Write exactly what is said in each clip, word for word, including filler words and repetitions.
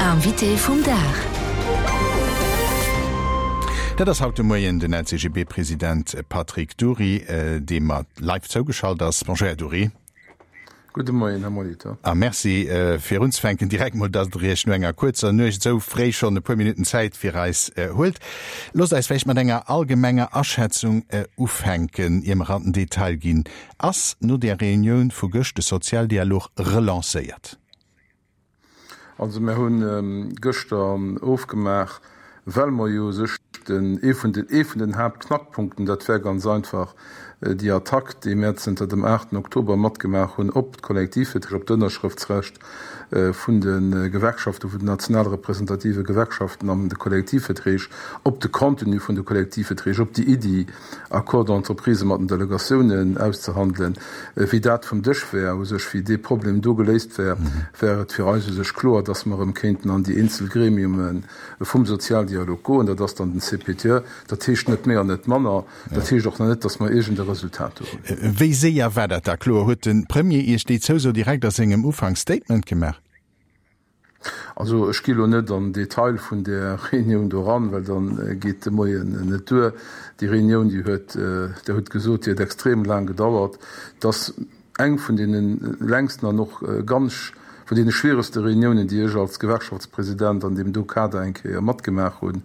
Invité vum Dag. Dat ass haut de Moien den L C G B-President Patrick Dury, dee mer live zougeschalt ass. Bonjour, Här Dury. Gudde Moien, Här Molitor. A Merci fir unzefänken direkt mol, datt Der Iech no enger kuerzer Nuecht esou fréi schonn e puer Minutten Zäit fir eis huelt. Loosst eis vläicht mat enger allgemenger Aschätzung ufänken, ier mer an den Detail ginn. Ass no där Reunioun vu gëscht de Sozialdialog relancéiert? Also mir hunn gëschter ofgemaach, well mer jo u sech den ee vun den ee vun den Haaptknackpunkten, dat wär ganz einfach déi Attack, déi mär zënter dem aachten Oktober matgemaach hunn op d'Kollektivverträg, op d'Ënnerschrëftsrecht vun de Gewerkschaften, vun den national representative Gewerkschaften an de Kollektivverträg, op de Contenu vun de Kollektivverträg, op déi Iddi, Accords d'entreprise mat den Delegatiounen auszehandelen, wéi dat vum Dësch wär, u sech wéi dee Problem do geléist wär, wär et fir eis u sech kloer, dass mer erëm kéinten an déi eenzel Gremiume vum Sozialdialog goen. Dat ass dann den C P T E. Dat heescht net méi an net manner. Dat heescht och nach net, dass mer iergend e Resultat do hunn. Wéi séier war dat da kloer? Huet de Premier Iech déi Zouso direkt a sengem Ufanksstatement gemaach? Also ech gi lo net an Detail vun där Reunioun do eran, well dann geet de Moien net duer. Déi Reunioun, déi huet, Der hutt gesot, déi huet extrem laang gedauert. Et ass eng vun deene längsten an och ganz vun deene schwieregste Reuniounen, déi ech als Gewerkschaftspresident an deem do Kader eng Kéier matgemaach hunn.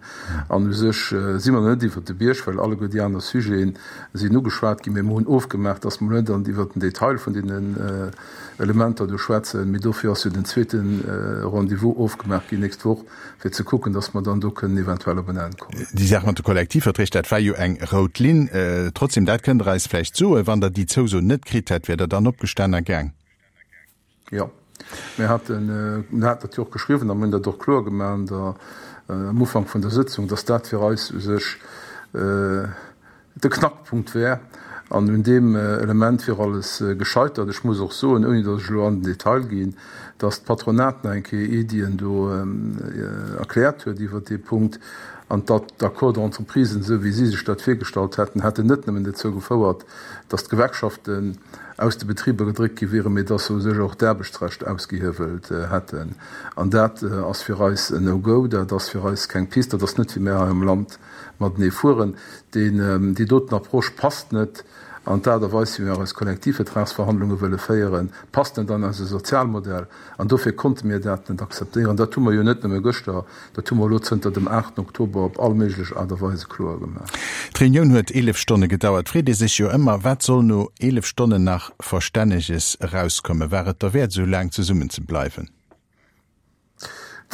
An u sech si mer net iwwert de Bierg, well alleguer déi aner Sujeten sinn ugeschwat ginn. Mee mer hunn ofgemaach, dass mer net an iwwert den Detail vun deenen Elementer do schwätzen. Mee dofir ass jo den zweete Rendez-vous ofgemaach ginn nächst Woch, fir ze kucken, dass mer dann do kënnen eventuell op en Enn kommen. Déi Saach mat de Kollektivverträg, dat war jo eng rout Linn. Trotzdem, dat kënnt Der eis vläicht soen, wann Der déi Zouso net kritt hätt, wier Der dann opgestan a gaang? Jo, mir haten, mir haten dat jo och geschriwwen a mir hunn dat och kloer gemaach an der, am Ufank vun der Sëtzung, dass dat fir eis u sech de Knackpunkt wär. An un deem Element wier alles gescheitert. Ech muss och soen, ouni datt ech elo an den Detail ginn, datt d'Patronat nach eng Kéier Iddien do erkläert huet iwwert dee Punkt an datt d'Accords d'entreprise, esou wéi si sech dat virgestallt hätten, hätten net nëmmen dozou gefouert, datt d'Gewerkschaften aus de Betriber gedréckt gi wieren, mee datt se u sech och d'Aarbechtsrecht ausgehiewelt hätten. An dat ass fir eis en No-Go, dat ass fir eis keng Piste, dat ass net, wéi mir hei am Land matenee fueren. Deen, déi doten Approche passt net an d'Aart a Weis, wéi mir eis Kollektivvertragsverhandlunge wëlle féieren, passt net an eise Sozialmodell. An dofir konnte mir dat net akzeptéieren. Dat hu mer jo net nëmme gëschter, dat hu mer elo zënter dem aachten Oktober op all méiglech Aart a Weise kloer gemaach. D'Reunioun huet eelef Stonne gedauert. Freet ee sech jo ëmmer, wat soll no eelef Stonnen nach Verstänneges erauskommen? War et derwäert, esou laang zesummen ze bleiwen?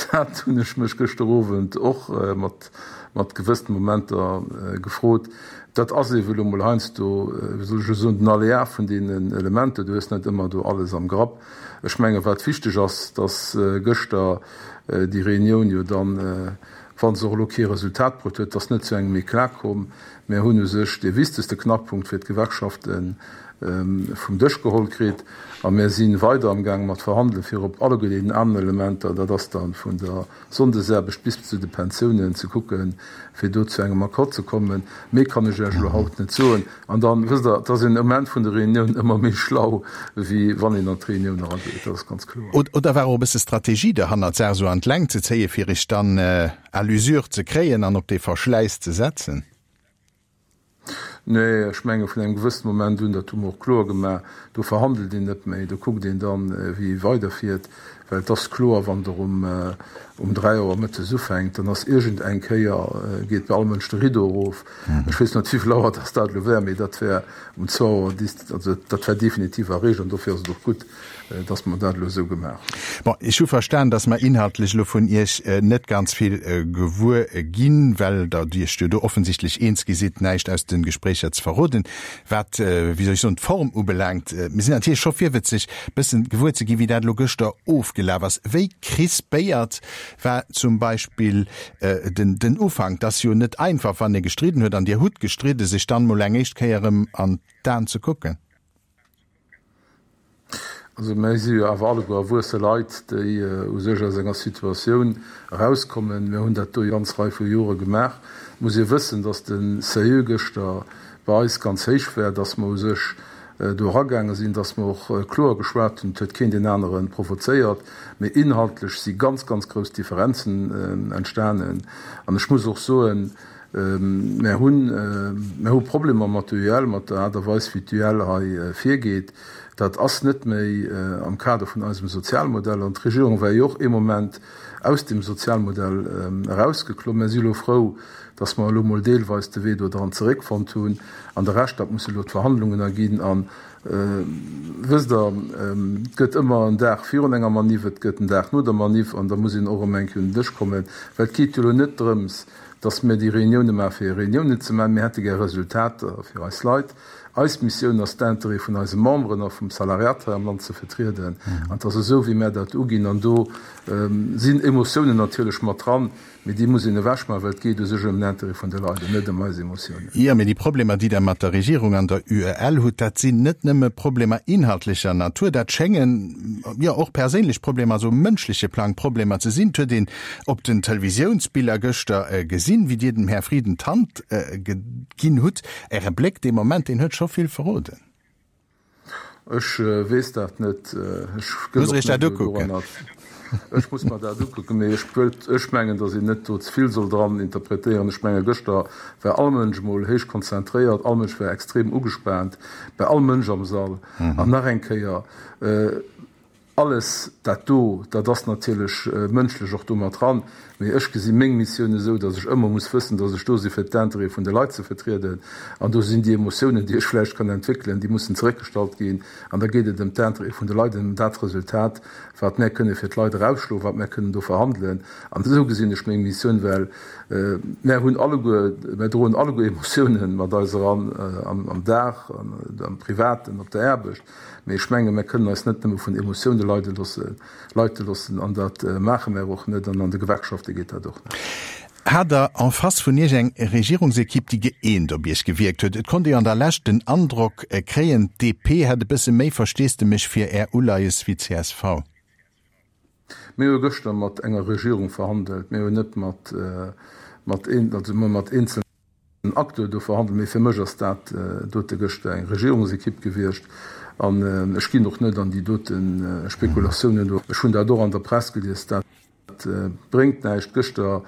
Dat hunn ech mech gëschter Owend och mat mat gewëssene Momenter gefrot. Dat ass eeben elo mol heiansdo, wéi soll ech elo soen, den Aléa vun deenen Elementer. Du hues net ëmmer do alles am Grapp. Ech menge wat wichteg ass, datt gëschter déi Reunioun jo dann, wa se och elo kee Resultat bruet huet, datt net zu engem Eclat komm. Mir hunn u sech dee wichtegste Knackpunkt fir d'Gewerkschaften vum Dësch geholl kritt a mir si weider amgaange mat verhandelen, fir op alleguer deenen aneren Elementer, dat ass dann vun der Sonndesaarbecht bis zu de Pensiounen, ze kucken, fir do zu engem Accord ze kommen. Méi kann ech Iech elo haut net soen. An dann, wësst Der, et ass een um Enn vun der Reunioun ëmmer méi schlau, wéi wann een an d'Reunioun erageet, dat ass ganz kloer. Oder war och e bësse Strategie derhannert, d'Saach esou an d'Längt ze zéien, fir Iech dann à l'usure ze kréien an op dee Verschläiss ze setzen? Nee, ech menge vun engem gewëssene Moment un, dat hu mer och kloer gemaach, do verhandelt een net méi, do kuckt een dann, wéi ee weiderfiert, well et ass kloer, wann Der um um dräi Auer mëttes ufänkt, dann ass iergend eng Kéier, geet bei all Mënsch de Rideau erof. Ech weess net, wéivill Auer dass dat elo wär, mee dat wär um zwou Auer, also dat wär definitiv erreecht an dofir ass et och gutt, dass mer dat elo esou gemaach hunn. Bon, ech hu verstan, dass mer inhaltlech elo vun Iech net ganz vill gewuer ginn, well Der Iech jo do offensichtlech eens gi sidd, näischt aus de Gespréicher ze verroden. Wat, wéi soll ech soen, d'Form ubelaangt, mir sinn natierlech scho virwëtzeg, bëssen gewuer ze ginn, wéi dat elo gëschter ofgelaf ass. Wéi crispéiert war zum Beispill den, den Ufank? 't ass jo net einfach, wann ee gestridden huet, an Dir hutt gestridden, sech dann mol eng éischt Kéier erëm an d'Aen ze kucken. Also mir si jo awer alleguer erwuesse Leit, déi u sech aus enger Situatioun erauskommen. Mir hunn dat do eng ganz Rei vu Jore gemaach. Et muss ee wëssen, datt de Seuil gëschter bei eis ganz héich war, datt mer u sech do eragaange sinn, dass mer och kloer geschwat hunn, et huet keen deen anere provozéiert, mee inhaltlech si ganz, ganz grouss Differenzen entstanen. An ech muss och soen, mär hunn, mär hu Problemer mat der U E L, mat der Aart a Weis wéi d'U E L hei virgeet. Dat ass net méi am Kader vun eisem Sozialmodell. An d'Regierung war jo och ee Moment aus deem Sozialmodell erausgeklomm. Mär si elo frou, dass mer elo mol deelweis de Wee do dran zeréckfonnt hunn. An de Rescht, dat musse elo d'Verhandlungen erginn. A wësst Der, et gëtt ëmmer en Dag virun enger Maniff, et gëtt en Dag no der Maniff an da muss een och erëm eng Kéier un den Dësch kommen. Well et geet jo elo net drëms, dass mir déi Reunioune maachen, fir Reuniounen ze maachen. Mir hätte gär Resultater fir eis Leit. Eis Missioun ass, d'Intérêt vun eise Memberen a vum Salariat hei am Land ze vertrieden. An et ass esou, wéi mär dat uginn. An do sinn Emotiounen natierlech mat dran, mee déi muss een ewechmaachen, well et geet u sech ëm den Intérêt vun de Leit an net ëm eis Emotiounen. Jo, mee déi Problemer, déi Der mat der Regierung an der U E L hutt, dat sinn net nëmme Problemer inhaltlecher Natur, dat schéngen jo och perséinlech Problemer, also um mënschleche Plang Problemer ze sinn. Et huet een op den Televisiounsbiller gëschter gesinn, wéi Dir dem Här Frieden d'Hand ginn hutt. Äre Bléck dee Moment, deen huet scho vill verroden. Ech weess dat net. Ech gëtt Muss och Iech dat net elo ukucken. doranner. Ech muss mer dat ukucken, mee ech wëllt, ech mengen, datt een net do ze vill soll dran interpretéieren. Ech menge gëschter war all Mënsch emol héich konzentréiert, all Mënsch war extrem ugespaant, bei all Mënsch am Sall. An nach eng Kéier, alles dat do, dat ass natierlech mënschlech och do mat dran, mee ech gesi meng Missioun esou, datt ech ëmmer muss wëssen, datt ech do si fir d'Intérêtë vun de Leit ze vertrieden. An do sinn déi Emotiounen, déi ech vläicht kann entwéckelen, déi mussen zeréckgestallt ginn. An da geet et ëm d'Intérêtë vun de Leit an ëm dat Resultat, wat mär kënne fir d'Leit erausschloen, wat mär kënnen do verhandelen. An esou gesinn ech meng Missioun, well mär hunn alleguer, mär droen alleguer Emotiounen mat eis eran am Dag, am Privaten, op der Aarbecht. Mee ech menge mär kënnen eis net nëmme vun Emotioune leide loossen, leite loossen, an dat maache mär och net, an an de Gewerkschafte geet dat och net. Hat Der en face vun Iech eng Regierungsekipp, déi gëeent op Iech gewierkt huet? Et konnt ee an der Lescht den Androck kréien, d'D P hätt e bësse méi Versteesdemech fir Är Uleies wéi d'C S V. Mir hu gëschter mat enger Regierung verhandelt, mir hunn net mat, mat, also mat eenzelnen Acteur do verhandelt, mee fir mech ass dat dote gëschter eng Regierungsekipp gewiescht an ech ginn och net an déi dote Spekulatiounen do. Ech hunn dat och an der Press gelies, dat bréngt näischt. Gëschter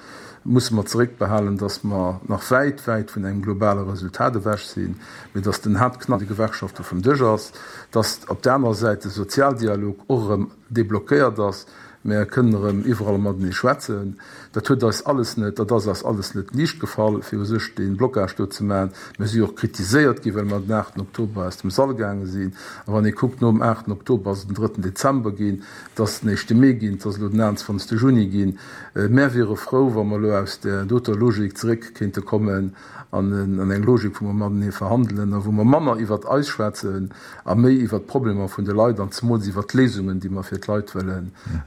musse mer zeréckbehalen, datt mer nach wäit, wäit vun engem globale Resultat ewech sinn, mee datt den Haaptknack de Gewerkschafte vum Dësch ass, datt op der anerer Säit de Sozialdialog och erëm deblockéiert ass, Mär kënnen erëm iwwerall matenee schwätzen. Dat huet eis alles net, dat ass eis alles net liicht gefall, fir u sech dee Blocage do ze maachen. Mir si jo och kritiséiert ginn, well mer den aachten Oktober aus dem Sall gaange sinn. A wann ee kuckt, nom aachten Oktober ass et den drëtten Dezember ginn, et ass den éischte Mee ginn, et ass elo den aachtundzwanzegste Juni ginn. Mär wiere frou, wa mer elo aus där doter Logik zeréck kéinte kommen an an eng Logik, wou mer matenee verhandelen a wou mer manner iwwert eis schwätzen a méi iwwert d'Problemer vun de Leit an zemools iwwert d'Léisungen, déi mer fir d'Leit wëlle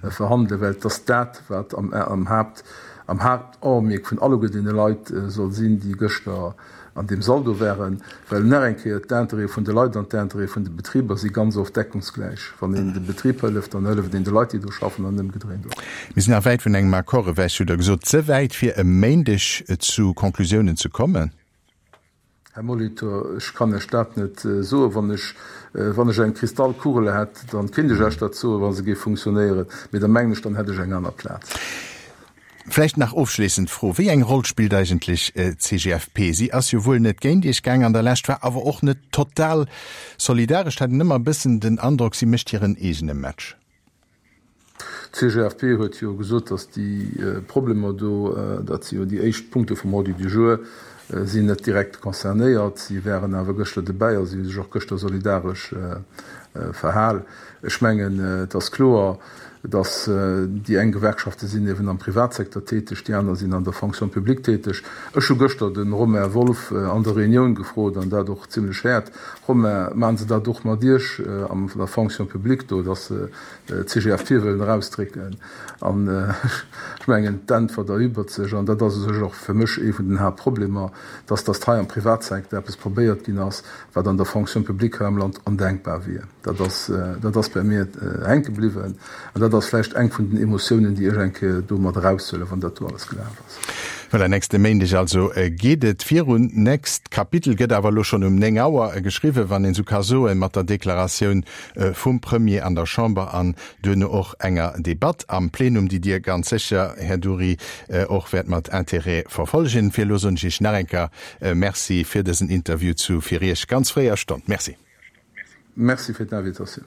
verhandelen, well et ass dat, wat am am Haapt am Haaptaugenmerk vun alleguer deene Leit soll sinn, déi gëschter an deem Sall do waren, well nach eng Kéier, d'Intérêtë vun de Leit an d'Intérêtë vun de Betriber si ganz oft deckungsgläich. Wann een de Betrib hëlleft, dann hëlleft een de Leit, déi do schaffen, an ëmgedréint och. Mir sinn nach wäit vun engem Accord ewech, hutt Der gesot. Ze wäit, fir e Méindeg zu Conclusiounen ze kommen? Här Molitor, ech kann Iech dat net soen. Wann ech, wann ech eng Kristallkugel hätt, dann kéint ech Iech dat soen, wa se géif funktionéieren. Mee da mengen ech, dann hätt ech eng aner Plaz. Vläicht nach ofschléissend d'Fro, Wéi eng Roll spillt eigentlech d'C G F P? Si ass jo wuel net géint Iech gaang an der Lescht, war awer och net total solidaresch. Et hat een ëmmer e bëssen den Androck, si mécht hiren eegene Match. D'C G F P huet jo gesot, datt déi Problemer do, dat si jo déi éischt Punkte vum Ordre du jour, sinn net direkt concernéiert. Si wären awer gëschter dobäi a si hu sech och gëschter solidaresch verhal. Ech mengen, et ass kloer, datt déi eng Gewerkschafte sinn eben am Privatsecteur täteg, déi aner sinn an der Fonction publique täteg. Ech hu gëschter de Romain Wolff an der Reunioun gefrot, an dat och zimlech haart, Romain, maachen se dat och mat Iech an der Fonction publique do, datt se d'C G F P wëllen erausdrécken? An ech mengen, d'Äntwert erübregt sech, an dat ass u sech och fir mech ee vun den Haaptproblemer, datt datt hei am Privatsecteur eppes probéiert ginn ass, wat an der Fonction publique hei am Land ondenkbar wier. Dat ass, dat ass bei mir hänke bliwwen. An dat ass vläicht eng vun den Emotiounen, déi ech eng Kéier do mat eraushuelen, wann dat do alles gelaf ass. Voilà, nächste Méindeg also geet et virun. Nächst Kapitel gëtt awer elo schonn um néng Auer geschriwwen, wann een esou ka soen, mat der Deklaratioun vum Premier an der Chamber an duerno och enger Debatt am Plenum, déi Dir ganz sécher, Här Dury, och wäert mat Interêt verfollegen. Fir elo soen ech Iech nach eng Kéier Merci fir dësen Interview zu fir Iech ganz fréier Stonn. Merci. Merci fir d'Invitatioun.